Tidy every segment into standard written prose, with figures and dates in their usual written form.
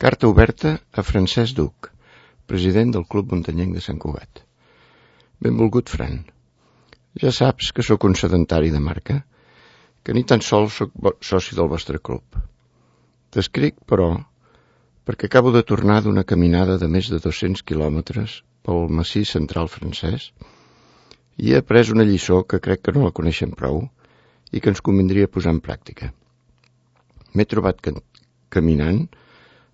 Carta oberta a Francesc Duc, president del Club Muntanyenc de Sant Cugat. Benvolgut, Fran. Ja saps que sóc un sedentari de marca, que ni tan sols sóc soci del vostre club. T'escric, però, perquè acabo de tornar d'una caminada de més de 200 quilòmetres pel massís central francès i he après una lliçó que crec que no la coneixem prou i que ens convindria posar en pràctica. M'he trobat caminant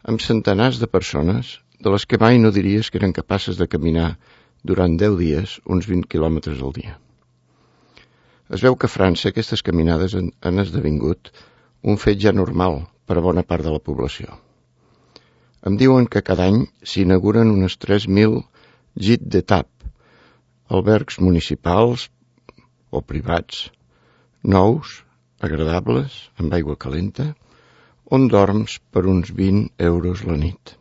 amb centenars de persones de les que mai no diries que eren capaces de caminar durant 10 dies uns 20 quilòmetres al dia. Es veu que a França aquestes caminades han esdevingut un fet ja normal per a bona part de la població. Em diuen que cada any s'inauguren unes 3.000 gîtes d'étape, albergs municipals o privats, nous, agradables, amb aigua calenta, on dorms per uns 20 euros la nit.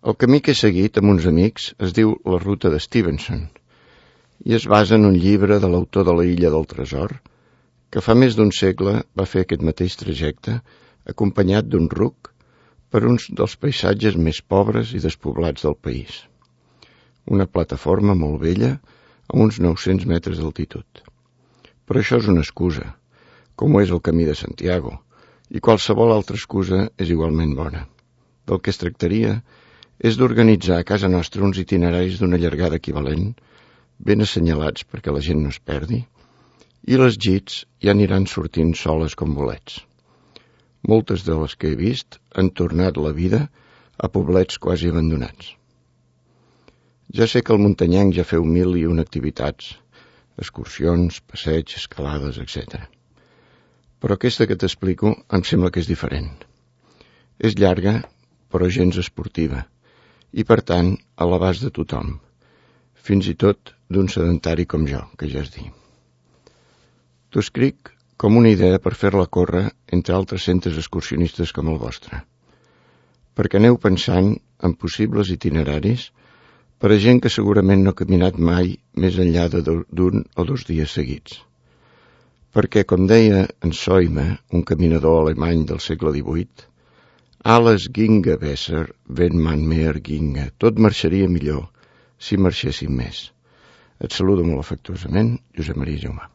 El camí que he seguit amb uns amics es diu la ruta de Stevenson i es basa en un llibre de l'autor de la Illa del Tresor, que fa més d'un segle va fer aquest mateix trajecte acompanyat d'un ruc per uns dels paisatges més pobres i despoblats del país. Una plataforma molt vella a uns 900 metres d'altitud. Però això és una excusa, com ho és el camí de Santiago, i qualsevol altra excusa és igualment bona. Del que es tractaria és d'organitzar a casa nostra uns itineraris d'una llargada equivalent, ben assenyalats perquè la gent no es perdi, i les gîtes ja aniran sortint soles com bolets. Moltes de les que he vist han tornat la vida a poblets quasi abandonats. Ja sé que al Muntanyenc ja feu 1001 activitats, excursions, passeig, escalades, etc. Però aquesta que t'explico em sembla que és diferent. És llarga, però gens esportiva, i per tant a l'abast de tothom, fins i tot d'un sedentari com jo, que ja es diu. T'ho escric com una idea per fer-la córrer entre altres centres excursionistes com el vostre, perquè aneu pensant en possibles itineraris per a gent que segurament no ha caminat mai més enllà d'un o 2 dies seguits. Perquè, com deia en Soime, un caminador alemany del segle XVIII, alles ginge besser, wenn man mehr ginge. Tot marxaria millor si marxéssim més. Et saludo molt afectuosament, Josep Maria Jaumà.